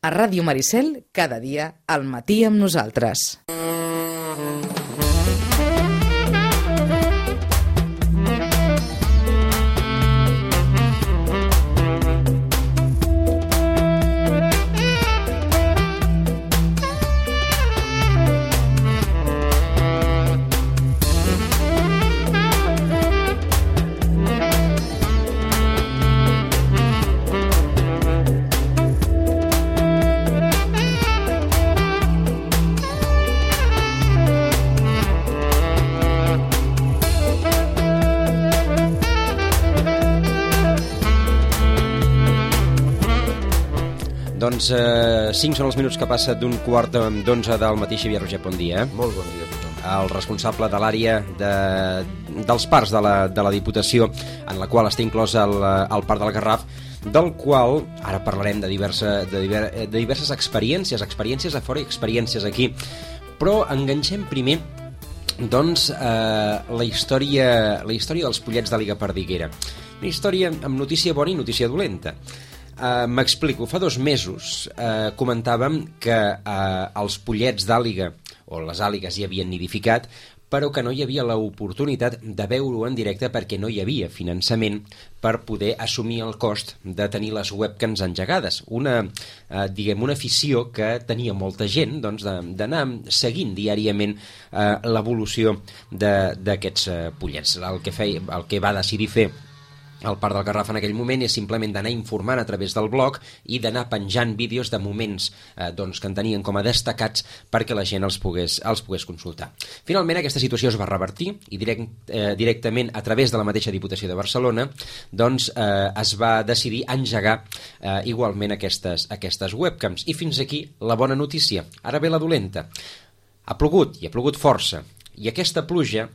A Ràdio Maricel, cada dia, al matí amb nosaltres. Doncs 5 són els minuts que passa d'un quart d'11 del matí. Xavier Roger, bon dia. Molt bon dia a tothom. El responsable de l'àrea dels parcs de la Diputació, en la qual està inclòs el Parc del Garraf, del qual ara parlarem de diverses experiències a fora i experiències aquí. Però enganxem primer doncs, la història dels pollets d'àliga perdiguera. Una història amb notícia bona i notícia dolenta. M'explico, fa 2 mesos comentàvem que els pollets d'àliga o les àligues ja havien nidificat, però que no hi havia l'oportunitat de veure-ho en directe perquè no hi havia finançament per poder assumir el cost de tenir les webcams engegades. Una afició que tenia molta gent, doncs, d'anar seguint diàriament l'evolució d'aquests pollets. El que va decidir fer el Parc del Garraf en aquell moment és simplement d'anar informant a través del blog i d'anar penjant vídeos de moments que en tenien com a destacats perquè la gent els pogués consultar. Finalment aquesta situació es va revertir i directament a través de la mateixa Diputació de Barcelona es va decidir engegar igualment aquestes webcams. I fins aquí la bona notícia. Ara ve la dolenta. Ha plogut, i ha plogut força. I aquesta pluja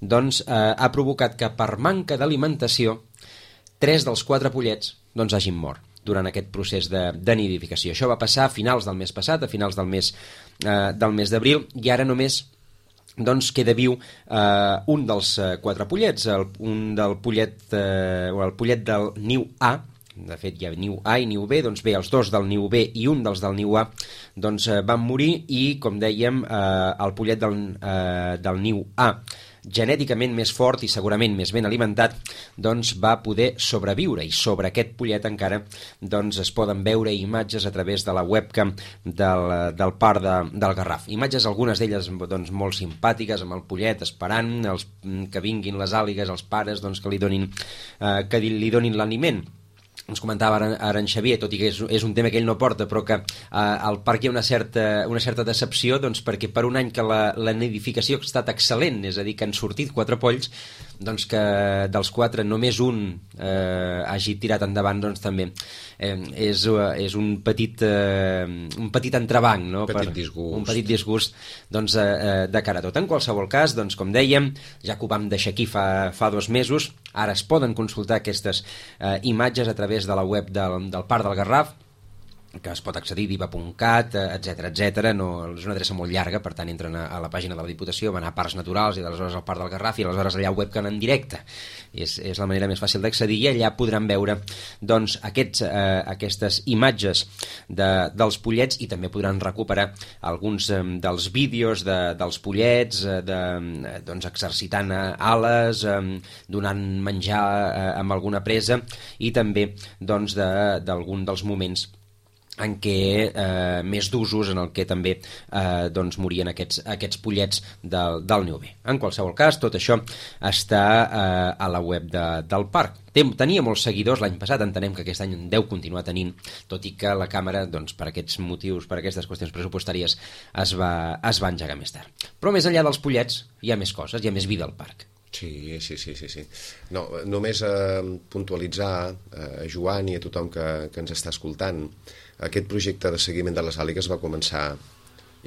ha provocat que per manca d'alimentació 3 dels 4 pollets hagin mort durant aquest procés de nidificació. Això va passar a finals del mes passat, a finals del mes d'abril, i ara només queda viu un dels 4 pollets, el pollet del niu A. De fet, hi ha niu A i niu B, els 2 del niu B i un dels del niu A van morir, i, com dèiem, el pollet del niu A, genèticament més fort i segurament més ben alimentat, va poder sobreviure, i sobre aquest pollet encara es poden veure imatges a través de la webcam del Parc del Garraf. Imatges, algunes d'elles molt simpàtiques, amb el pollet esperant que vinguin les àligues, els pares que li donin l'aliment. Ens comentava ara en Xavier, tot i que és un tema que ell no porta, però que al parc hi ha una certa decepció, perquè per un any que la nidificació ha estat excel·lent, és a dir, que han sortit 4 polls, que dels 4 només un hagi tirat endavant, també és un petit entrebanc, no? Un petit disgust de cara a tot. En qualsevol cas, com dèiem, ja que ho vam deixar aquí fa 2 mesos, ara es poden consultar aquestes imatges a través de la web del Parc del Garraf, que es pot accedir, diva.cat, etc. No, és una adreça molt llarga, per tant entren a la pàgina de la Diputació, van a Parcs Naturals i aleshores al Parc del Garraf, i aleshores allà webcam en directe. És la manera més fàcil d'accedir, i allà podran veure aquestes imatges dels pollets, i també podran recuperar alguns dels vídeos dels pollets exercitant ales, donant menjar amb alguna presa, i també d'algun dels moments en què més d'usos, en el que també morien aquests pollets del niu B. En qualsevol cas, tot això està a la web del parc. Tenia molts seguidors l'any passat, entenem que aquest any en deu continuar tenint, tot i que la càmera, per aquests motius, per aquestes qüestions pressupostàries, es va engegar més tard. Però més enllà dels pollets hi ha més coses, hi ha més vida al parc. Sí. No, només puntualitzar a Joan i a tothom que ens està escoltant, aquest projecte de seguiment de les àligues va començar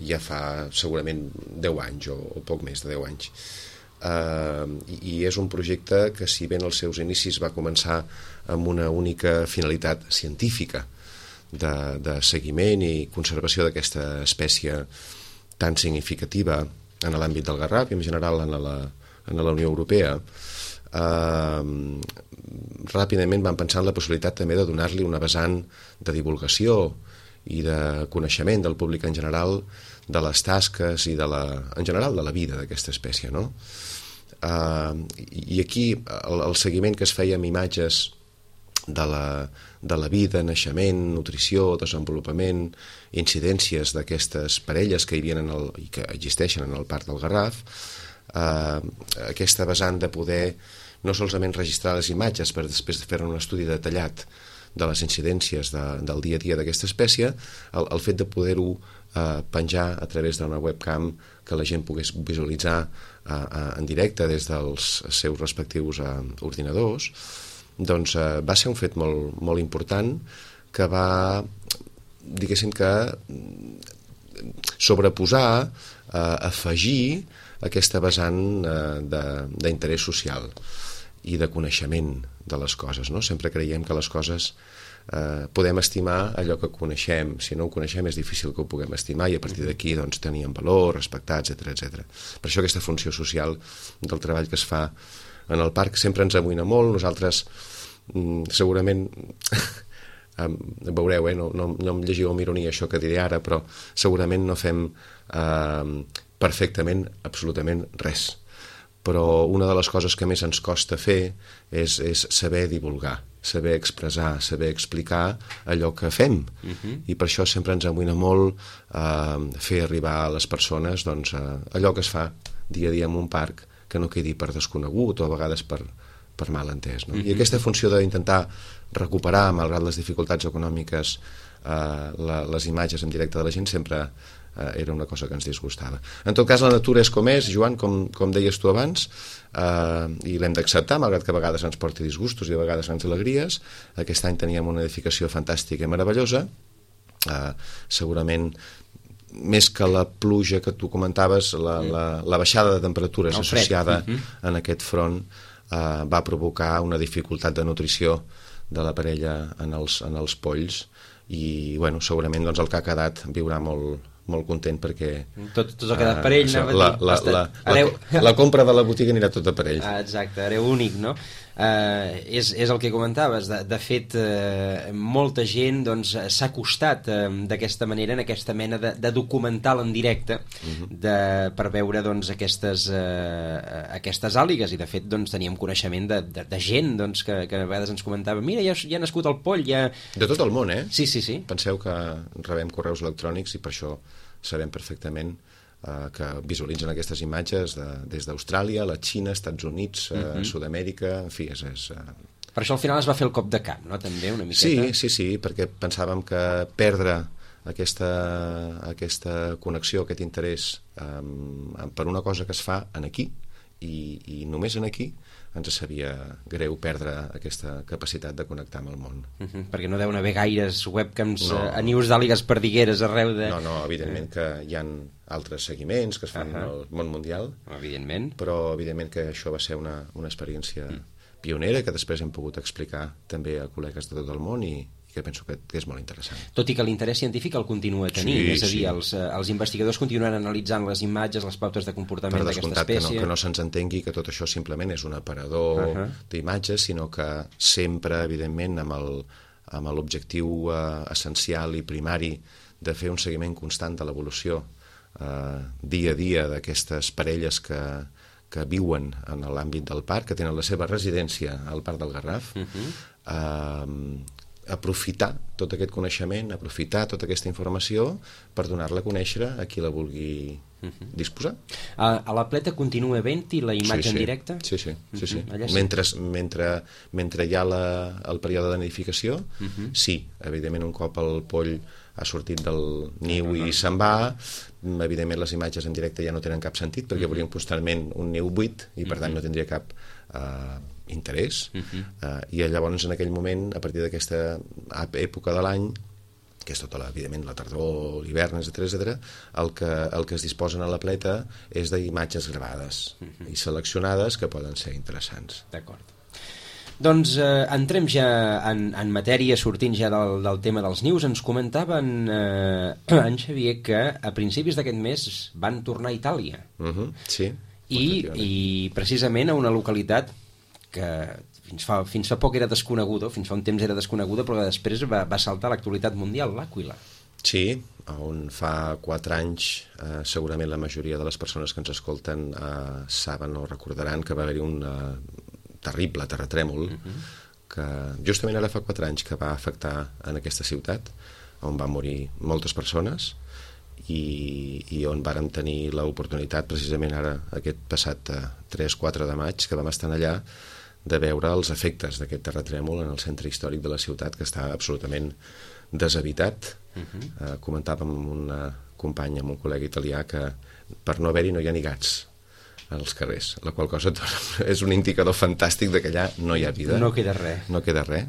ja fa segurament 10 anys o poc més de 10 anys. I és un projecte que, si bé en els seus inicis va començar amb una única finalitat científica de seguiment i conservació d'aquesta espècie tan significativa en l'àmbit del Garraf i en general en la Unió Europea, ràpidament van pensar en la possibilitat també de donar-li una vessant de divulgació i de coneixement del públic en general de les tasques i en general de la vida d'aquesta espècie, no? I aquí el seguiment que es feia amb imatges de la vida, naixement, nutrició, desenvolupament, incidències d'aquestes parelles que hi havia i que existeixen en el Parc del Garraf, aquesta vessant de poder no solament registrar les imatges per després fer un estudi detallat de les incidències del dia a dia d'aquesta espècie, el fet de poder-ho penjar a través d'una webcam que la gent pogués visualitzar en directe des dels seus respectius ordinadors, doncs va ser un fet molt, molt important que va, diguéssim que, sobreposar, afegir aquesta vessant d'interès social i de coneixement de les coses, no? Sempre creiem que les coses podem estimar allò que coneixem. Si no ho coneixem és difícil que ho puguem estimar i a partir d'aquí doncs, tenir en valor, respectar, etc. Per això aquesta funció social del treball que es fa en el parc sempre ens amoïna molt. Nosaltres segurament veureu, no em llegiu amb ironia això que diré ara, però segurament no fem perfectament absolutament res, però una de les coses que més ens costa fer és saber divulgar, saber expressar, saber explicar allò que fem, i per això sempre ens amoïna molt fer arribar a les persones doncs, allò que es fa dia a dia en un parc, que no quedi per desconegut o a vegades per mal entès, no? I aquesta funció d'intentar recuperar, malgrat les dificultats econòmiques, les imatges en directe de la gent sempre era una cosa que ens disgustava. En tot cas, la natura és com és, Joan, com deies tu abans, i l'hem d'acceptar, malgrat que a vegades ens porti disgustos i a vegades ens alegries. Aquest any teníem una edificació fantàstica i meravellosa, segurament més que la pluja que tu comentaves, la baixada de temperatures associada en aquest front va provocar una dificultat de nutrició de la parella en els polls, i bueno, segurament doncs, el que ha quedat viurà molt content perquè tot ha quedat per ell, la compra de la botiga anirà tot per ell. Exacte, hereu únic, no? És el que comentaves. De fet, molta gent doncs, s'ha acostat d'aquesta manera, en aquesta mena de documental en directe per veure doncs, aquestes àligues, i de fet doncs, teníem coneixement de gent doncs, que a vegades ens comentava, mira, ja ha nascut el poll, ja... De tot el món, eh? Sí. Penseu que rebem correus electrònics i per això sabem perfectament que visualitzen aquestes imatges des d'Austràlia, la Xina, Estats Units, Sud-amèrica, en fi, Per això al final es va fer el cop de camp, no? També una miqueta. Sí, perquè pensàvem que perdre aquesta connexió, aquest interès per una cosa que es fa aquí i només aquí, ens sabia greu perdre aquesta capacitat de connectar amb el món. Perquè no deuen haver gaires webcams a nius d'àligues perdigueres arreu de... No, evidentment que hi ha altres seguiments que es fan al món mundial, evidentment. Però evidentment que això va ser una experiència pionera que després hem pogut explicar també a col·legues de tot el món i que penso que és molt interessant. Tot i que l'interès científic el continua tenint, és a dir, els investigadors continuen analitzant les imatges, les pautes de comportament d'aquesta espècie. Que no se'ns entengui que tot això simplement és un aparador d'imatges, sinó que sempre, evidentment, amb l'objectiu essencial i primari de fer un seguiment constant de l'evolució dia a dia d'aquestes parelles que viuen en l'àmbit del parc, que tenen la seva residència al Parc del Garraf, aprofitar tot aquest coneixement, aprofitar tota aquesta informació per donar-la a conèixer a qui la vulgui disposar. A la Pleta continua havent-hi la imatge en directe? Sí. Mentre hi ha el període de nidificació, sí, evidentment un cop el poll ha sortit del niu i se'n va, evidentment les imatges en directe ja no tenen cap sentit perquè veuríem constantment un niu buit i per tant no tindria cap interès, i llavors en aquell moment, a partir d'aquesta època de l'any, que és tota evidentment la tardor, l'hivern, etc., el que es disposen a la Pleta és d'imatges gravades i seleccionades que poden ser interessants. D'acord. Doncs entrem ja en matèria, sortint ja del tema dels nius. Ens comentaven en Xavier que a principis d'aquest mes van tornar a Itàlia. Sí. I precisament a una localitat que fins fa poc era desconeguda, fins fa un temps era desconeguda, però que després va saltar a l'actualitat mundial, l'Àquila. Sí, on fa 4 anys segurament la majoria de les persones que ens escolten saben o recordaran que va haver-hi un terrible terratrèmol que justament ara fa 4 anys que va afectar en aquesta ciutat, on van morir moltes persones i on vàrem tenir l'oportunitat precisament ara aquest passat 3-4 de maig que vam estar allà de veure els efectes d'aquest terratrèmol en el centre històric de la ciutat, que està absolutament deshabitat. Comentàvem amb una companya, amb un col·lega italià, que per no haver-hi no hi ha ni gats als carrers, la qual cosa és un indicador fantàstic de que allà no hi ha vida. No queda res. No queda res.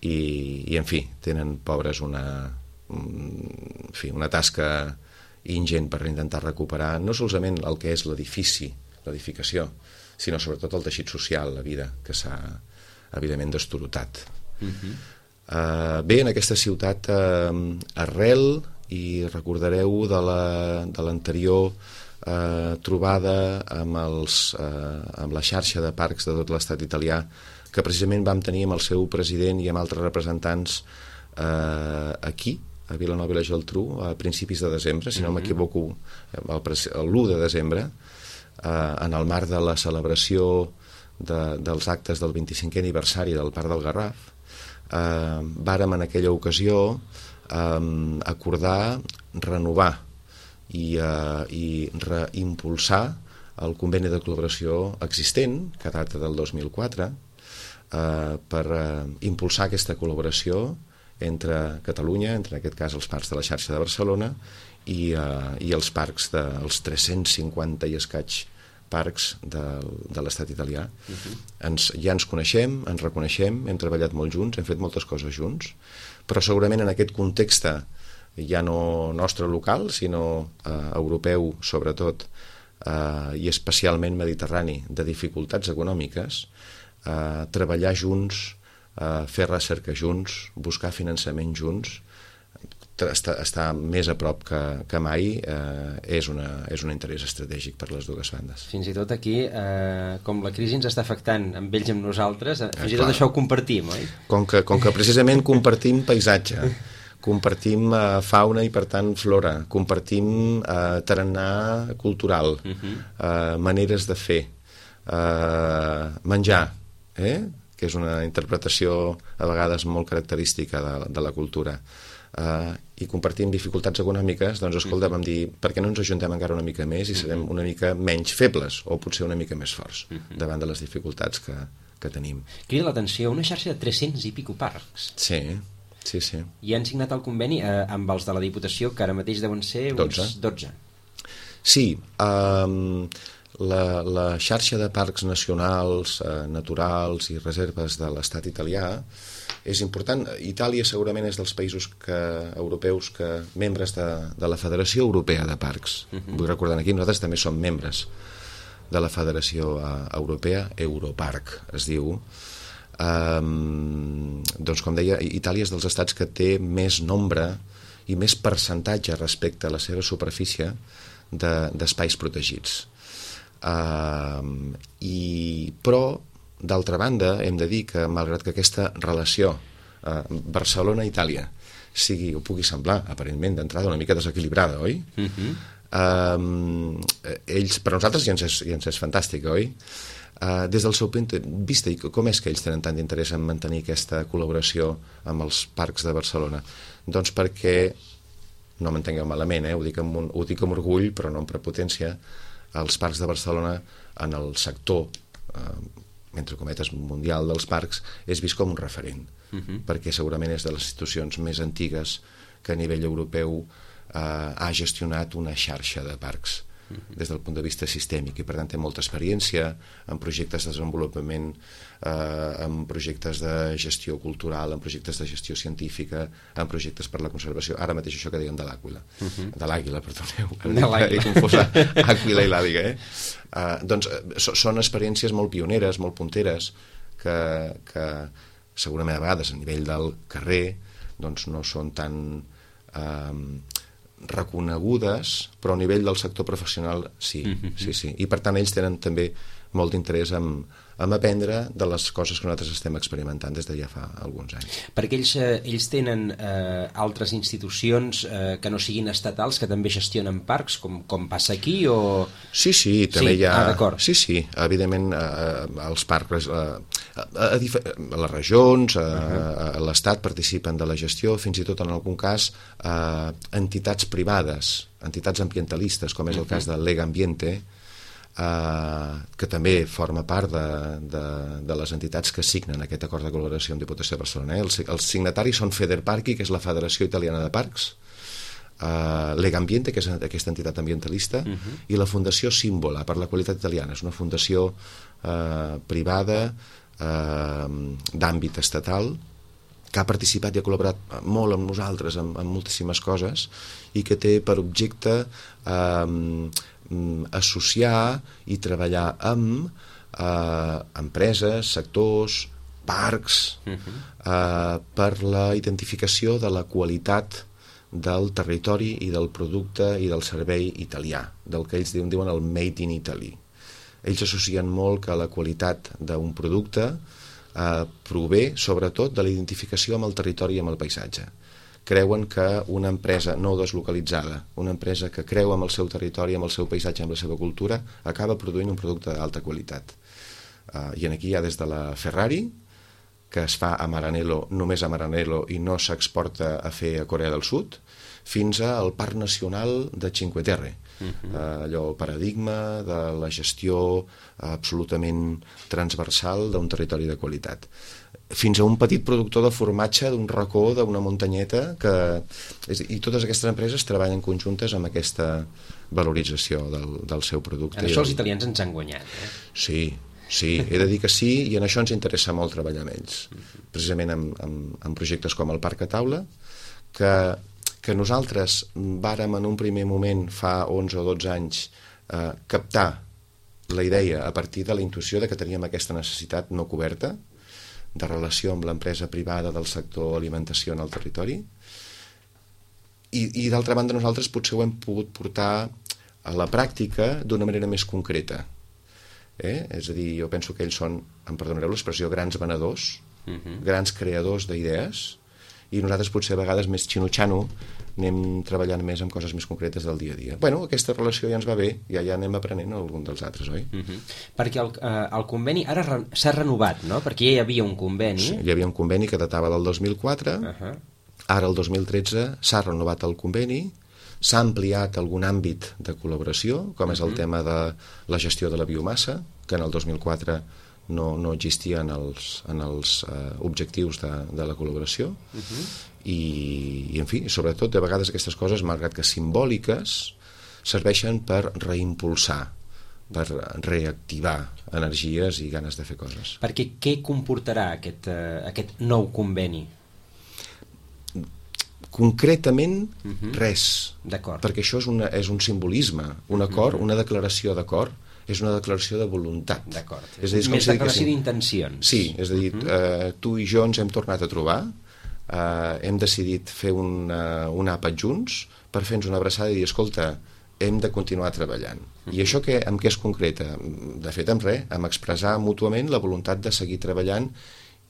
I en fi, tenen pobres una tasca ingent per intentar recuperar no solament el que és l'edifici, l'edificació, sinó sobretot el teixit social, la vida, que s'ha evidentment destorotat. Bé, en aquesta ciutat arrel, i recordareu de l'anterior trobada amb la xarxa de parcs de tot l'estat italià, que precisament vam tenir amb el seu president i amb altres representants aquí, a Vilanova i la Geltrú, a principis de desembre, si no m'equivoco, l'1 de desembre, en el marc de la celebració dels actes del 25è aniversari del Parc del Garraf. Vàrem en aquella ocasió acordar renovar i reimpulsar el conveni de col·laboració existent, que data del 2004, per impulsar aquesta col·laboració entre Catalunya, entre en aquest cas els parcs de la xarxa de Barcelona i els parcs dels 350 i escaig parcs de l'estat italià. Ja ens coneixem, ens reconeixem, hem treballat molt junts, hem fet moltes coses junts, però segurament en aquest context ja no nostre local, sinó europeu sobretot, i especialment mediterrani, de dificultats econòmiques, treballar junts, fer recerca junts, buscar finançament junts, estar més a prop que mai és un interès estratègic per les dues bandes. Fins i tot aquí, com la crisi ens està afectant amb ells i amb nosaltres, fins i tot això ho compartim, oi? Com que precisament compartim paisatge, compartim fauna i per tant flora, compartim tarannà cultural, maneres de fer, menjar, que és una interpretació a vegades molt característica de la cultura, i compartim dificultats econòmiques, doncs escolta, vam dir, per què no ens ajuntem encara una mica més i serem una mica menys febles o potser una mica més forts davant de les dificultats que tenim. Crida l'atenció una xarxa de 300 i pico parcs. Sí. I han signat el conveni amb els de la Diputació, que ara mateix deuen ser uns 12. Sí, la xarxa de parcs nacionals, naturals i reserves de l'estat italià és important. Itàlia segurament és dels països europeus membres de la Federació Europea de Parcs. Vull recordar aquí, nosaltres també som membres de la Federació Europea, Europarc es diu. Doncs com deia, Itàlia és dels estats que té més nombre i més percentatge respecte a la seva superfície d'espais protegits. Però d'altra banda, hem de dir que, malgrat que aquesta relació Barcelona-Itàlia pugui semblar, aparentment, d'entrada una mica desequilibrada, oi? Per nosaltres ja ens és fantàstic, oi? Des del seu punt de vista, com és que ells tenen tant d'interès en mantenir aquesta col·laboració amb els parcs de Barcelona? Doncs perquè, no m'entengueu malament, ho dic amb orgull, però no amb prepotència, els parcs de Barcelona en el sector entre cometes mundial dels parcs és vist com un referent, perquè segurament és de les institucions més antigues que a nivell europeu ha gestionat una xarxa de parcs des del punt de vista sistèmic, i per tant té molta experiència en projectes de desenvolupament, en projectes de gestió cultural, en projectes de gestió científica, en projectes per la conservació. Ara mateix això que dèiem de l'àguila, perdoneu, he confós Àquila i l'àguila, doncs són experiències molt pioneres, molt punteres, que segurament a vegades a nivell del carrer doncs no són tan reconegudes, però a nivell del sector professional sí. I per tant ells tenen també molt d'interès en aprendre de les coses que nosaltres estem experimentant des de ja fa alguns anys. Perquè ells tenen altres institucions que no siguin estatals, que també gestionen parcs, com passa aquí, o... Sí, també hi ha... d'acord. Sí, evidentment, els parcs, a les regions, a l'Estat participen de la gestió, fins i tot en algun cas entitats privades, entitats ambientalistes, com és el cas del Lega Ambiente, que també forma part de les entitats que signen aquest acord de col·laboració amb Diputació de Barcelona. Els signataris són Federparchi, que és la Federació Italiana de Parcs, Lega Ambiente, que és aquesta entitat ambientalista, i la Fundació Símbola per la Qualitat Italiana. És una fundació privada d'àmbit estatal que ha participat i ha col·laborat molt amb nosaltres en moltíssimes coses i que té per objecte associar i treballar amb empreses, sectors, parcs, per la identificació de la qualitat del territori i del producte i del servei italià, del que ells diuen el Made in Italy. Ells associen molt que la qualitat d'un producte prové sobretot de la identificació amb el territori i amb el paisatge. Creuen que una empresa no deslocalitzada, una empresa que creu amb el seu territori, amb el seu paisatge, amb la seva cultura, acaba produint un producte d'alta qualitat. I aquí hi ha des de la Ferrari, que es fa a Maranello, només a Maranello, i no s'exporta a fer a Corea del Sud, fins al Parc Nacional de Cinque Terre. Allò, el paradigma de la gestió absolutament transversal d'un territori de qualitat. Fins a un petit productor de formatge d'un racó, d'una muntanyeta, i totes aquestes empreses treballen conjuntes amb aquesta valorització del seu producte. En això els italians ens han guanyat. Sí, he de dir que sí, i en això ens interessa molt treballar amb ells. Precisament en projectes com el Parc a Taula, que nosaltres vàrem en un primer moment, fa 11 o 12 anys, captar la idea a partir de la intuïció de que teníem aquesta necessitat no coberta, de relació amb l'empresa privada del sector alimentació en el territori, i d'altra banda nosaltres potser ho hem pogut portar a la pràctica d'una manera més concreta. És a dir, jo penso que ells són, em perdonareu l'expressió, grans venedors, grans creadors d'idees, i nosaltres potser a vegades més xino-xano anem treballant més amb coses més concretes del dia a dia. Bueno, aquesta relació ja ens va bé, ja anem aprenent algun dels altres, oi? Perquè el conveni ara s'ha renovat, no? Perquè ja hi havia un conveni. Sí, hi havia un conveni que datava del 2004, ara el 2013 s'ha renovat el conveni, s'ha ampliat algun àmbit de col·laboració, com és el tema de la gestió de la biomassa, que en el 2004 no existia en els objectius de la col·laboració, i en fi, sobretot de vegades aquestes coses, malgrat que simbòliques, serveixen per reimpulsar, per reactivar energies i ganes de fer coses. Perquè què comportarà aquest nou conveni? Concretament, res. D'acord. Perquè això és un simbolisme, un acord, una declaració d'acord, és una declaració de voluntat. D'acord. És a dir, més declaració d'intencions. Sí, és a dir, tu i jo ens hem tornat a trobar, hem decidit fer un àpat junts per fer-nos una abraçada i dir, escolta, hem de continuar treballant. I això amb què es concreta? De fet, amb res, amb expressar mútuament la voluntat de seguir treballant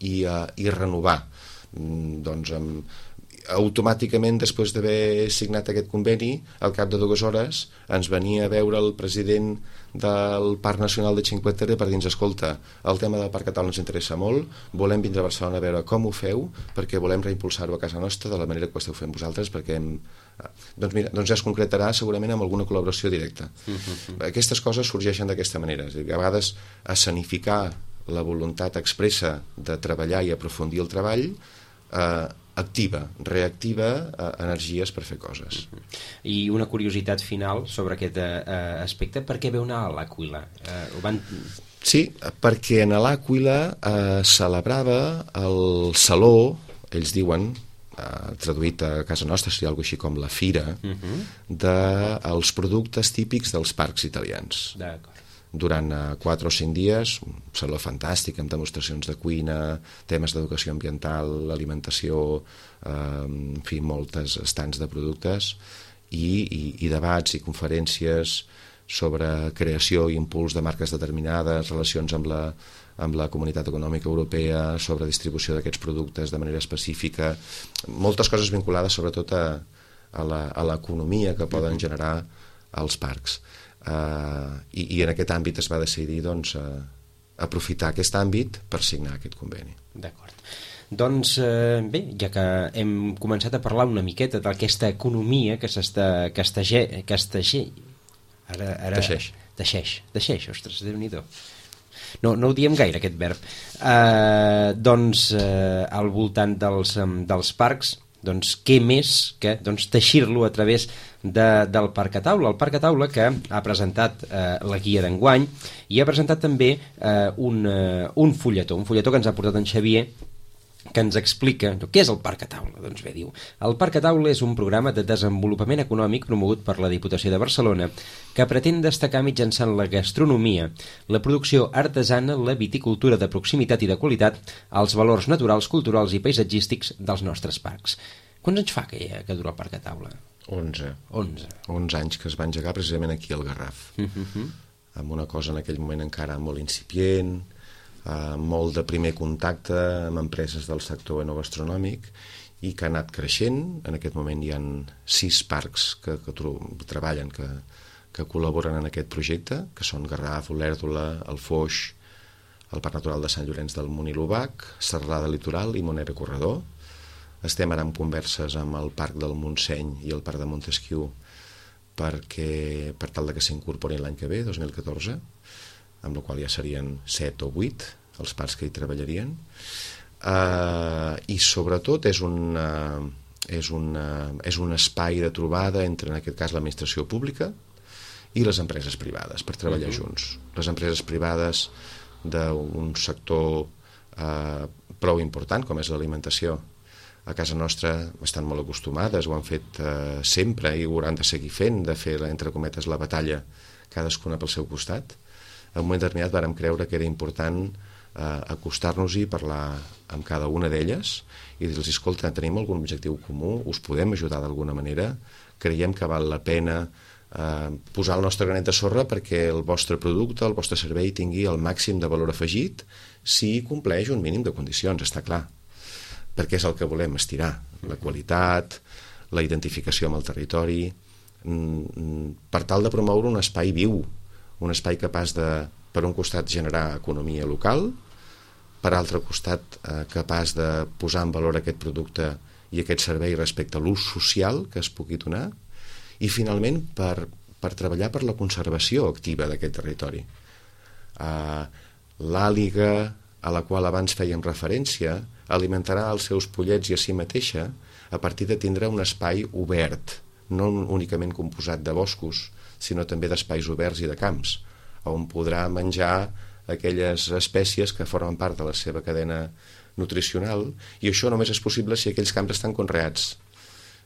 i renovar. Doncs automàticament, després d'haver signat aquest conveni, al cap de 2 hores ens venia a veure el president del Parc Nacional de Cinque Terre per dir-nos, escolta, el tema del Parc a Taula ens interessa molt, volem vindre a Barcelona a veure com ho feu, perquè volem reimpulsar-ho a casa nostra de la manera que ho esteu fent vosaltres, perquè doncs ja es concretarà segurament amb alguna col·laboració directa. Aquestes coses sorgeixen d'aquesta manera, és a dir, a vegades escenificar la voluntat expressa de treballar i aprofundir el treball activa, reactiva energies per fer coses. I una curiositat final sobre aquest aspecte, per què veu anar a l'Àquila? Sí, perquè en l'Àquila celebrava el saló, ells diuen, traduït a casa nostra seria alguna així com la fira, dels productes típics dels parcs italians. D'acord. Durant 4 o 5 dies, un saló fantàstic amb demostracions de cuina, temes d'educació ambiental, alimentació, en fi, moltes estants de productes i debats i conferències sobre creació i impuls de marques determinades, relacions amb la Comunitat Econòmica Europea, sobre distribució d'aquests productes de manera específica, moltes coses vinculades sobretot a l'economia que poden generar els parcs. I en aquest àmbit es va decidir doncs, aprofitar aquest àmbit per signar aquest conveni. D'acord. Doncs bé, ja que hem començat a parlar una miqueta d'aquesta economia que teixeix, ostres, Déu-n'hi-do. No ho diem gaire, aquest verb. Doncs al voltant dels parcs, doncs què més que teixir-lo a través del Parc a Taula. El Parc a Taula que ha presentat la guia d'enguany i ha presentat també un fulletó que ens ha portat en Xavier, que ens explica què és el Parc a Taula. Doncs bé, diu, el Parc a Taula és un programa de desenvolupament econòmic promogut per la Diputació de Barcelona que pretén destacar mitjançant la gastronomia, la producció artesana, la viticultura de proximitat i de qualitat, els valors naturals, culturals i paisatgístics dels nostres parcs. Quants anys fa que dura el Parc a Taula? 11 anys que es va engegar precisament aquí al Garraf. Amb una cosa en aquell moment encara molt incipient, molt de primer contacte amb empreses del sector enogastronòmic i que ha anat creixent. En aquest moment hi ha 6 parcs que treballen, que col·laboren en aquest projecte, que són Garraf, Olèrdola, el Foix, el Parc Natural de Sant Llorenç del Munt i l'Obac, Serralada Litoral i Monera Corredor. Estem ara en converses amb el Parc del Montseny i el Parc de Montesquieu per tal que s'incorporin l'any que ve, 2014, amb la qual ja serien 7 o 8 els parcs que hi treballarien, i sobretot és un espai de trobada entre, en aquest cas, l'administració pública i les empreses privades per treballar junts. Les empreses privades d'un sector prou important com és l'alimentació, a casa nostra estan molt acostumades, ho han fet sempre i ho hauran de seguir fent, de fer, entre cometes, la batalla cadascuna pel seu costat. En un moment determinat vàrem creure que era important acostar-nos-hi, parlar amb cada una d'elles i dir-los, escolta, tenim algun objectiu comú, us podem ajudar d'alguna manera, creiem que val la pena posar el nostre granet de sorra perquè el vostre producte, el vostre servei tingui el màxim de valor afegit si compleix un mínim de condicions, està clar, perquè és el que volem estirar, la qualitat, la identificació amb el territori, per tal de promoure un espai viu, un espai capaç de, per un costat, generar economia local, per altre costat, capaç de posar en valor aquest producte i aquest servei respecte a l'ús social que es pugui donar, i finalment per treballar per la conservació activa d'aquest territori. L'àliga, a la qual abans fèiem referència, alimentarà els seus pollets i a si mateixa a partir de tindre un espai obert, no únicament composat de boscos, sinó també d'espais oberts i de camps, on podrà menjar aquelles espècies que formen part de la seva cadena nutricional, i això només és possible si aquells camps estan conreats.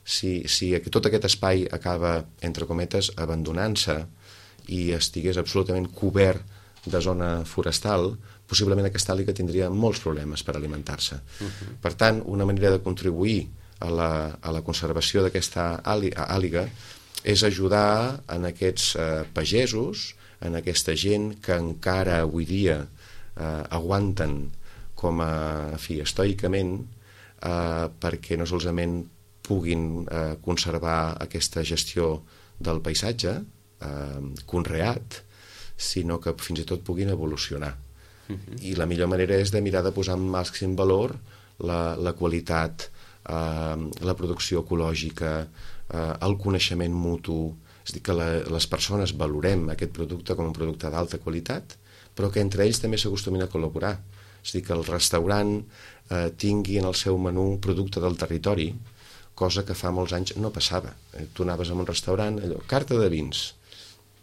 Si tot aquest espai acaba, entre cometes, abandonant-se i estigués absolutament cobert de zona forestal, possiblement aquesta àliga tindria molts problemes per alimentar-se. Per tant, una manera de contribuir a la conservació d'aquesta àliga és ajudar en aquests pagesos, en aquesta gent que encara avui dia aguanten com a estoicament perquè no solament puguin conservar aquesta gestió del paisatge conreat, sinó que fins i tot puguin evolucionar. I la millor manera és de mirar de posar en màxim valor la qualitat, la producció ecològica, el coneixement mutu, és a dir, que les persones valorem aquest producte com un producte d'alta qualitat, però que entre ells també s'acostumin a col·laborar. És a dir, que el restaurant tingui en el seu menú producte del territori, cosa que fa molts anys no passava. Tu anaves a un restaurant, allò, carta de vins,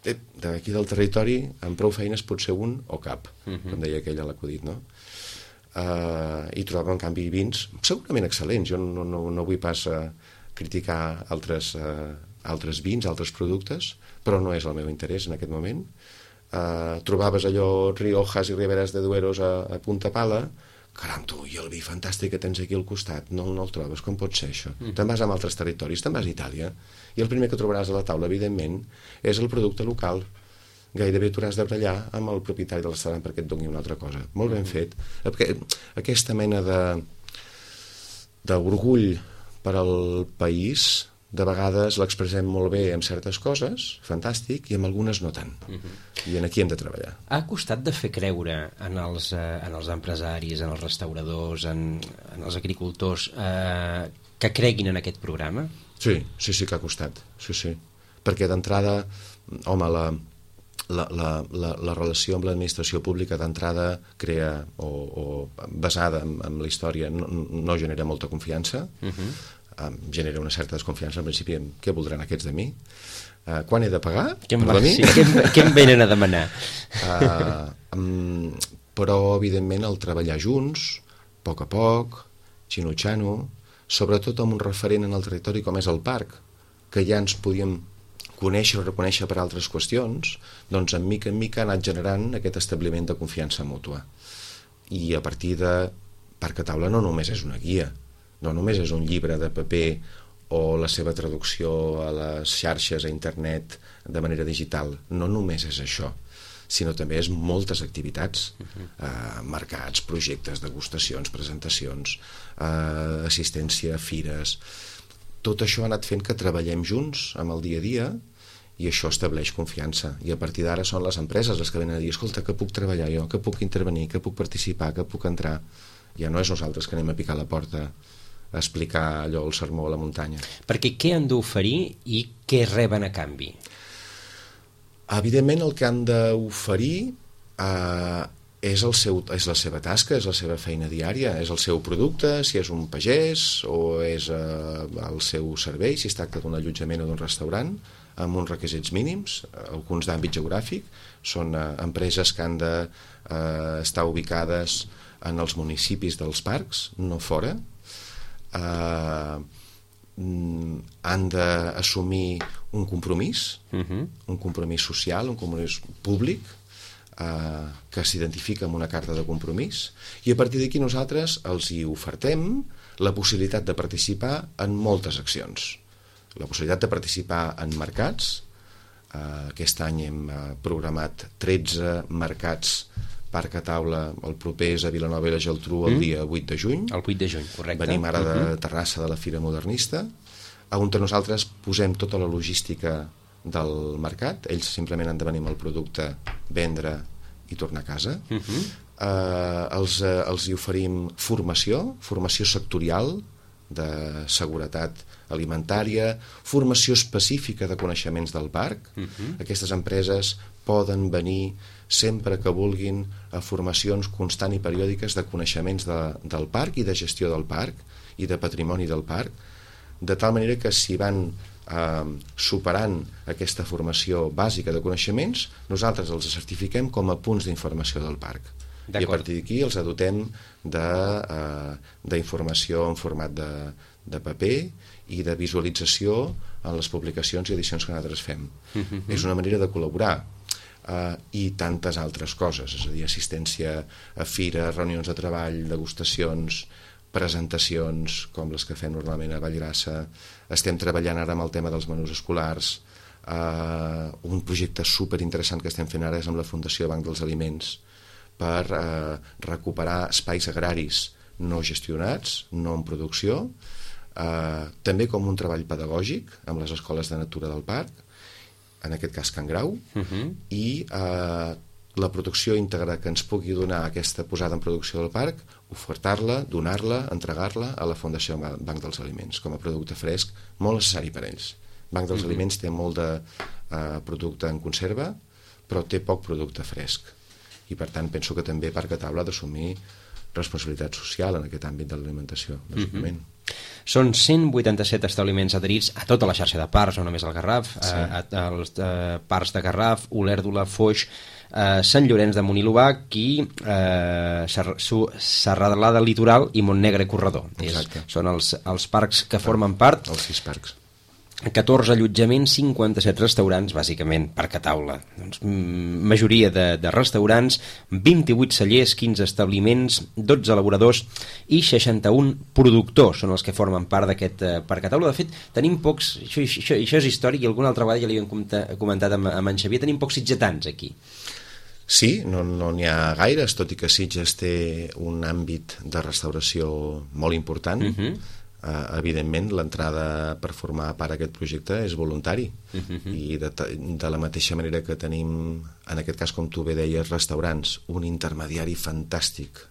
d'aquí del territori, amb prou feines pot ser un o cap, com deia aquell a l'acudit, no? I trobava, en canvi, vins segurament excel·lents. Jo no vull pas criticar altres vins, altres productes, però no és el meu interès en aquest moment. Trobaves allò Riojas i Riberas de Dueros a Punta Pala, caram, tu, i el vi fantàstic que tens aquí al costat, no el trobes, com pot ser això? Te'n vas a altres territoris, te'n vas a Itàlia, i el primer que trobaràs a la taula, evidentment, és el producte local. gairebé t'hauràs de barallar amb el propietari del restaurant perquè et doni una altra cosa. Molt ben fet. Aquesta mena d'orgull per al país, de vegades l'expressem molt bé en certes coses, fantàstic, i en algunes no tant. I aquí hem de treballar. Ha costat de fer creure en els empresaris, en els restauradors, en els agricultors, que creguin en aquest programa? Sí que ha costat, sí. Perquè d'entrada, home, la relació amb l'administració pública d'entrada crea, o basada en la història, no genera molta confiança, genera una certa desconfiança al principi en què voldran aquests de mi, quan he de pagar? Què em venen a demanar? Però evidentment el treballar junts, a poc, xino-xano, sobretot amb un referent en el territori com és el parc, que ja ens podíem conèixer o reconèixer per altres qüestions, doncs en mica ha anat generant aquest establiment de confiança mútua. I a partir de Parc a Taula no només és una guia, no només és un llibre de paper o la seva traducció a les xarxes, a internet, de manera digital. No només és això, sinó també és moltes activitats, mercats, projectes, degustacions, presentacions, assistència a fires. Tot això ha anat fent que treballem junts amb el dia a dia i això estableix confiança. I a partir d'ara són les empreses les que venen a dir escolta, que puc treballar jo, que puc intervenir, que puc participar, que puc entrar. Ja no és nosaltres que anem a picar la porta a explicar allò, el sermó a la muntanya. Perquè què han d'oferir i què reben a canvi? Evidentment el que han d'oferir és la seva tasca, és la seva feina diària, és el seu producte, si és un pagès o és el seu servei, si es tracta d'un allotjament o d'un restaurant, amb uns requisits mínims, alguns d'àmbit geogràfic, són empreses que han d'estar ubicades en els municipis dels parcs, no fora, han d'assumir un compromís, un compromís social, un compromís públic, que s'identifica amb una carta de compromís, i a partir d'aquí nosaltres els hi ofertem la possibilitat de participar en moltes accions. La possibilitat de participar en mercats. Aquest any hem programat 13 mercats Parc a Taula, el proper és a Vilanova i la Geltrú el dia 8 de juny. El 8 de juny, correcte. Venim ara de Terrassa de la Fira Modernista, on nosaltres posem tota la logística del mercat. Ells simplement han de venir amb el producte, vendre i tornar a casa. Els hi oferim formació sectorial de seguretat alimentària, formació específica de coneixements del parc. Aquestes empreses poden venir sempre que vulguin a formacions constant i periòdiques de coneixements del parc i de gestió del parc i de patrimoni del parc, de tal manera que si van superant aquesta formació bàsica de coneixements, nosaltres els certifiquem com a punts d'informació del parc. I a partir d'aquí els dotem d'informació en format de paper i de visualització en les publicacions i edicions que nosaltres fem. És una manera de col·laborar. I tantes altres coses, és a dir, assistència a fires, reunions de treball, degustacions, presentacions com les que fem normalment a Vallgrassa. Estem treballant ara amb el tema dels menús escolars. Un projecte superinteressant que estem fent ara és amb la Fundació Banc dels Aliments per recuperar espais agraris no gestionats, no en producció, també com un treball pedagògic amb les escoles de natura del parc, en aquest cas Can Grau, i la producció íntegra que ens pugui donar aquesta posada en producció del parc, ofertar-la, donar-la, entregar-la a la Fundació Banc dels Aliments, com a producte fresc, molt necessari per ells. Banc dels Aliments té molt de producte en conserva, però té poc producte fresc. I per tant penso que també Parc a Taula ha d'assumir responsabilitat social en aquest àmbit de l'alimentació, bàsicament. Són 187 establiments adherits a tota la xarxa de parcs, no només al Garraf, als parcs de Garraf, Olèrdola, Foix, Sant Llorenç de Munilobac i Serralada del Litoral i Montnegre Corredor. Són els parcs que formen part. Els 6 parcs. 14 allotjaments, 57 restaurants, bàsicament parc a taula. Doncs, majoria de restaurants, 28 cellers, 15 establiments, 12 elaboradors i 61 productors són els que formen part d'aquest parc a taula. De fet, tenim pocs, això és històric, i alguna altra vegada ja li hem comentat amb en Xavier, tenim pocs sitgetans aquí. Sí, no n'hi ha gaires, tot i que Sitges té un àmbit de restauració molt important. Evidentment, l'entrada per formar part d'aquest projecte és voluntari, i de la mateixa manera que tenim, en aquest cas, com tu bé deies, restaurants, un intermediari fantàstic,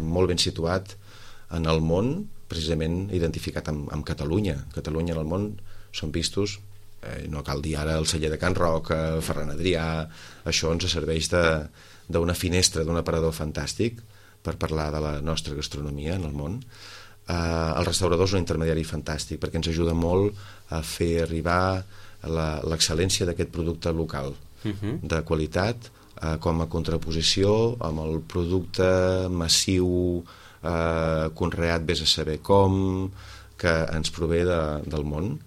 molt ben situat en el món, precisament identificat amb Catalunya. Catalunya en el món són vistos, no cal dir ara el celler de Can Roc, Ferran Adrià, això ens serveix d'una finestra, d'un aparador fantàstic per parlar de la nostra gastronomia en el món. El restaurador és un intermediari fantàstic perquè ens ajuda molt a fer arribar l'excel·lència d'aquest producte local, de qualitat, com a contraposició amb el producte massiu, conreat vés a saber com, que ens prové del món,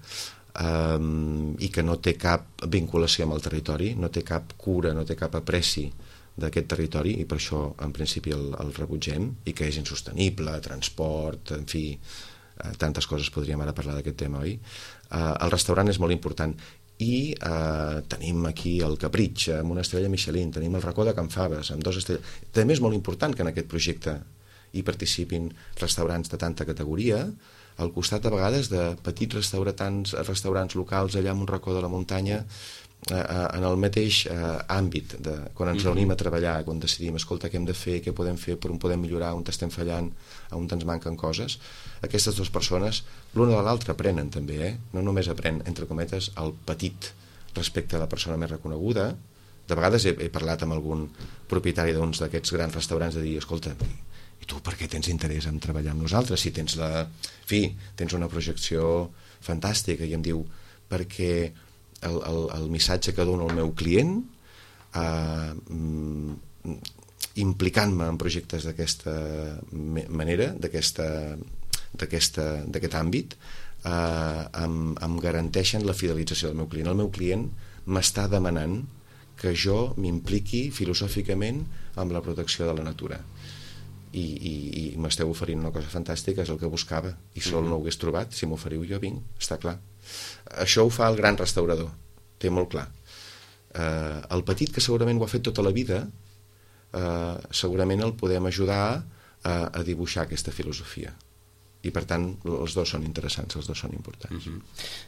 i que no té cap vinculació amb el territori, no té cap cura, no té cap apreci d'aquest territori, i per això en principi el rebutgem, i que és insostenible, transport, en fi, tantes coses. Podríem ara parlar d'aquest tema, oi? El restaurant és molt important, i tenim aquí el Capritx amb una estrella Michelin, tenim el Racó de Can Faves amb 2 estrelles. També és molt important que en aquest projecte hi participin restaurants de tanta categoria, al costat a vegades de petits restaurants locals allà en un racó de la muntanya, en el mateix àmbit, quan ens reunim a treballar, quan decidim, escolta, què hem de fer, què podem fer, per on podem millorar, on estem fallant, on ens manquen coses. Aquestes dues persones, l'una de l'altra, aprenen també, no només aprèn, entre cometes, el petit respecte a la persona més reconeguda. De vegades he parlat amb algun propietari d'uns d'aquests grans restaurants de dir, escolta, i tu per què tens interès en treballar amb nosaltres si tens tens una projecció fantàstica? I em diu, perquè el missatge que dono al meu client, implicant-me en projectes d'aquesta manera, d'aquest àmbit, em garanteixen la fidelització del meu client. El meu client m'està demanant que jo m'impliqui filosòficament amb la protecció de la natura, i m'esteu oferint una cosa fantàstica, és el que buscava, i sol no ho hagués trobat. Si m'oferiu jo vinc, està clar. Això ho fa el gran restaurador, té molt clar. El petit, que segurament ho ha fet tota la vida, segurament el podem ajudar a dibuixar aquesta filosofia, i per tant els dos són interessants, els dos són importants.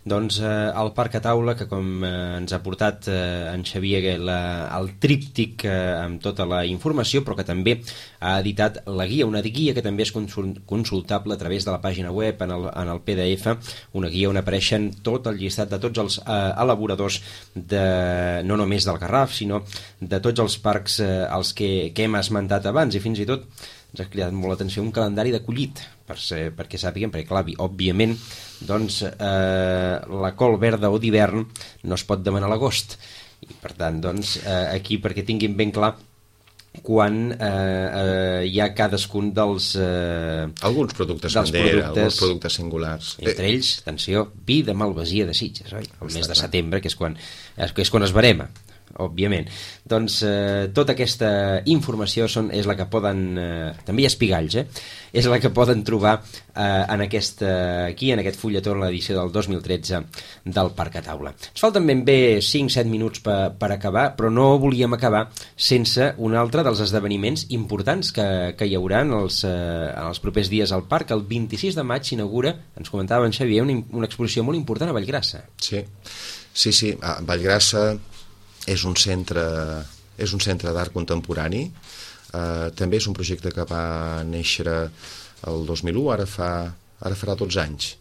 Doncs el parc a taula, que com ens ha portat en Xavier el tríptic amb tota la informació, però que també ha editat la guia, una guia que també és consultable a través de la pàgina web, en el PDF, una guia on apareixen tot el llistat de tots els elaboradors, no només del Garraf, sinó de tots els parcs els que hem esmentat abans, i fins i tot ens ha cridat molt l'atenció un calendari d'acollit, perquè sàpiguen, perquè clar, òbviament, doncs, la col verda o d'hivern no es pot demanar a l'agost, i per tant, doncs, aquí, perquè tinguin ben clar quan hi ha cadascun dels alguns productes bandera, alguns productes singulars. Entre ells, atenció, vi de Malvasia de Sitges, oi? El mes de setembre, que és quan es verema, òbviament. Doncs tota aquesta informació és la que poden, també hi ha espigalls, és la que poden trobar aquí, en aquest fulletó, en l'edició del 2013 del Parc a Taula. Ens falten ben bé 5-7 minuts per acabar, però no volíem acabar sense un altre dels esdeveniments importants que hi haurà en els propers dies al parc. El 26 de maig s'inaugura, ens comentava en Xavier, una exposició molt important a Vallgrassa. Sí. A Vallgrassa és un centre d'art contemporani. També és un projecte que va néixer el 2001, ara farà 12 anys,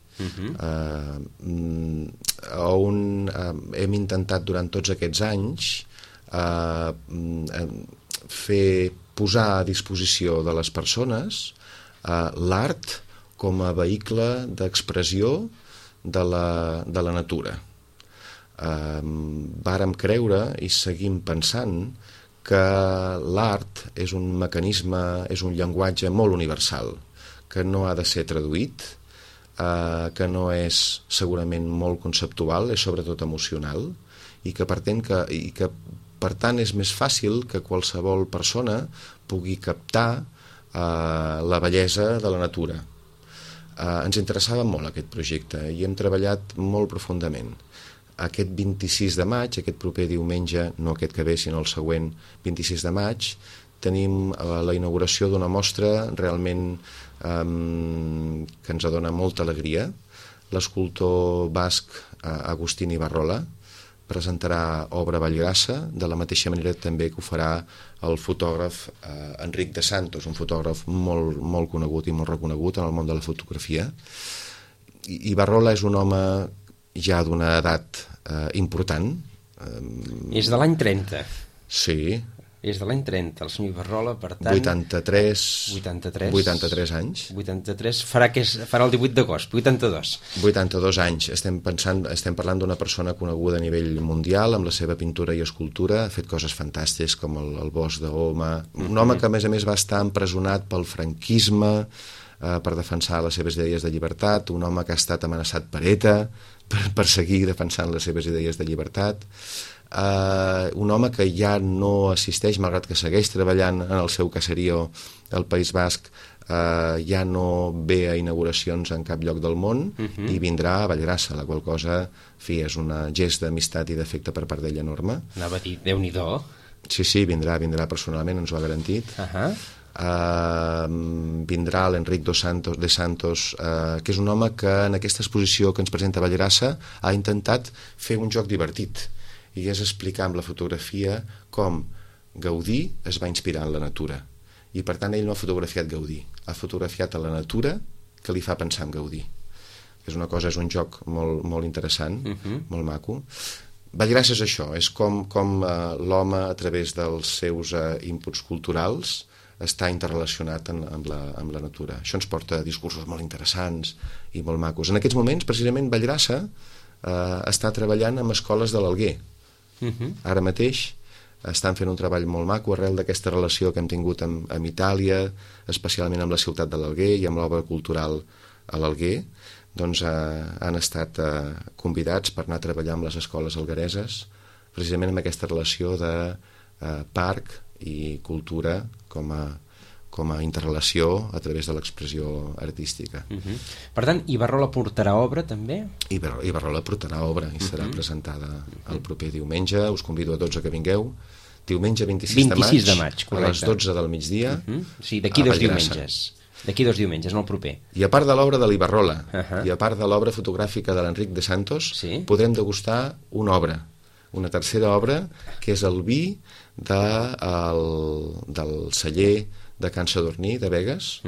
on hem intentat durant tots aquests anys posar a disposició de les persones l'art com a vehicle d'expressió de la natura. Vàrem creure i seguim pensant que l'art és un mecanisme, és un llenguatge molt universal, que no ha de ser traduït, que no és segurament molt conceptual, és sobretot emocional, i que per tant és més fàcil que qualsevol persona pugui captar la bellesa de la natura. Ens interessava molt aquest projecte i hem treballat molt profundament. Aquest 26 de maig, aquest proper diumenge, no aquest que ve sinó el següent 26 de maig, tenim la inauguració d'una mostra realment que ens dona molta alegria. L'escultor basc Agustín Ibarrola presentarà obra Vallgrassa, de la mateixa manera també que ho farà el fotògraf Enric de Santos, un fotògraf molt, molt conegut i molt reconegut en el món de la fotografia. Ibarrola és un home ja d'una edat important. És de l'any 30. Sí. És de l'any 30, el senyor Ibarrola, per tant... 83 anys. 83, farà el 18 d'agost, 82. 82 anys. Estem parlant d'una persona coneguda a nivell mundial, amb la seva pintura i escultura, ha fet coses fantàstiques com el Bosc d'Oma, un home que a més va estar empresonat pel franquisme per defensar les seves idees de llibertat, un home que ha estat amenaçat per ETA per seguir defensant les seves idees de llibertat, un home que ja no assisteix, malgrat que segueix treballant en el seu caserío al País Basc, ja no ve a inauguracions en cap lloc del món i vindrà a Vallgrassa, la qual cosa, és un gest d'amistat i d'afecte per part d'ell enorme. Anava a dir, Déu-n'hi-do. Sí, vindrà personalment, ens ho ha garantit. Vindrà l'Enric de Santos, que és un home que en aquesta exposició que ens presenta a Vallgrassa ha intentat fer un joc divertit, i és explicar amb la fotografia com Gaudí es va inspirar en la natura, i per tant ell no ha fotografiat Gaudí, ha fotografiat a la natura que li fa pensar en Gaudí. És un joc molt, molt interessant, molt maco. Vallgrassa és això, és com l'home a través dels seus inputs culturals està interrelacionat amb la natura. Això ens porta a discursos molt interessants i molt macos. En aquests moments, precisament, Vallgrassa està treballant amb escoles de l'Alguer. Ara mateix estan fent un treball molt maco arrel d'aquesta relació que hem tingut amb Itàlia, especialment amb la ciutat de l'Alguer i amb l'obra cultural a l'Alguer. Doncs han estat convidats per anar a treballar amb les escoles alguereses, precisament amb aquesta relació de parc i cultura com a interrelació a través de l'expressió artística. Per tant, Ibarrola portarà obra també? Ibarrola portarà obra i serà presentada el proper diumenge. Us convido a tots a que vingueu. Diumenge 26 de maig a les 12 del migdia. Sí, d'aquí 2 diumenges. D'aquí 2 diumenges, no el proper. I a part de l'obra de l'Ibarrola i a part de l'obra fotogràfica de l'Enric de Santos, podrem degustar una obra, una tercera obra, que és el vi del celler de Can Sadurní de Begues,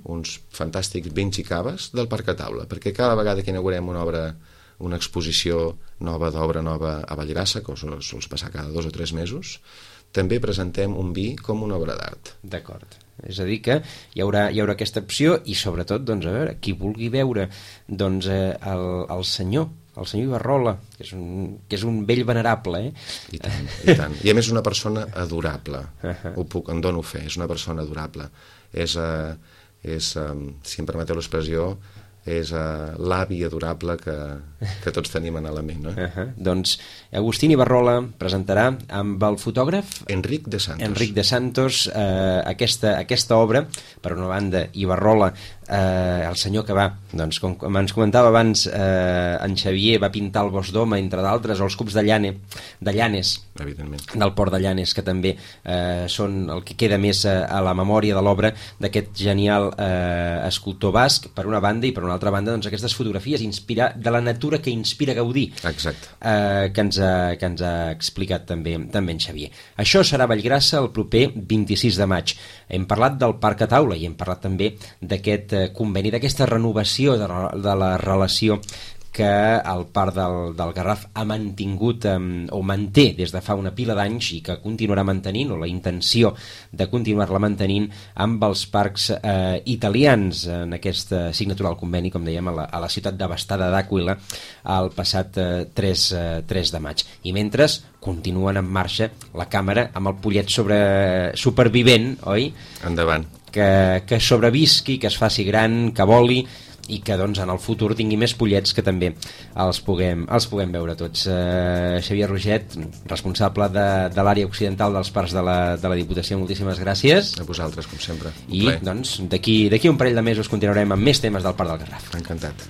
uns fantàstics vins i caves del Parc a Taula, perquè cada vegada que inaugurem una exposició nova d'obra nova a Vallgrassa, que sols passar cada 2 o 3 mesos, també presentem un vi com una obra d'art. D'acord. És a dir que hi haurà aquesta opció i sobretot, doncs, a veure, qui vulgui veure doncs, el senyor Ibarrola, que és un vell venerable, I tant. I a més una persona adorable, en dono fe, és una persona adorable. És, si em permeteu l'expressió, és l'avi adorable que tots tenim en la ment. Doncs Agustín Ibarrola presentarà amb el fotògraf Enric de Santos aquesta obra. Per una banda, Ibarrola, el senyor que va, doncs, com ens comentava abans, en Xavier va pintar el Bosc d'Oma, entre d'altres, o els cups de Llanes, del port de Llanes, que també són el que queda més a la memòria de l'obra d'aquest genial escultor basc, per una banda, i per una altra banda, doncs, aquestes fotografies de la natura que inspira Gaudí. Exacte. Que ens ha explicat també en Xavier. Això serà a Vallgrassa el proper 26 de maig. Hem parlat del Parc a Taula i hem parlat també d'aquest conveni, d'aquesta renovació de la relació que el Parc del Garraf ha mantingut o manté des de fa una pila d'anys i que continuarà mantenint, o la intenció de continuar-la mantenint amb els parcs italians en aquesta signatura del conveni, com dèiem, a la ciutat devastada d'Àquila el passat 3 de maig. I mentre continuen en marxa la càmera amb el pollet supervivent, oi? Endavant. Que sobrevisqui, que es faci gran, que voli, i que doncs, en el futur tingui més pollets que també els puguem veure tots. Xavier Roget, responsable de l'àrea occidental dels parcs de la Diputació, moltíssimes gràcies. A vosaltres, com sempre. I doncs, d'aquí un parell de mesos continuarem amb més temes del Parc del Garraf. Encantat.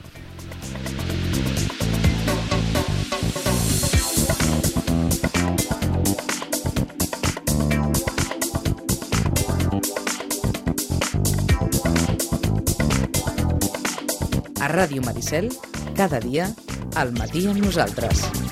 A Ràdio Maricel, cada dia, al matí amb nosaltres.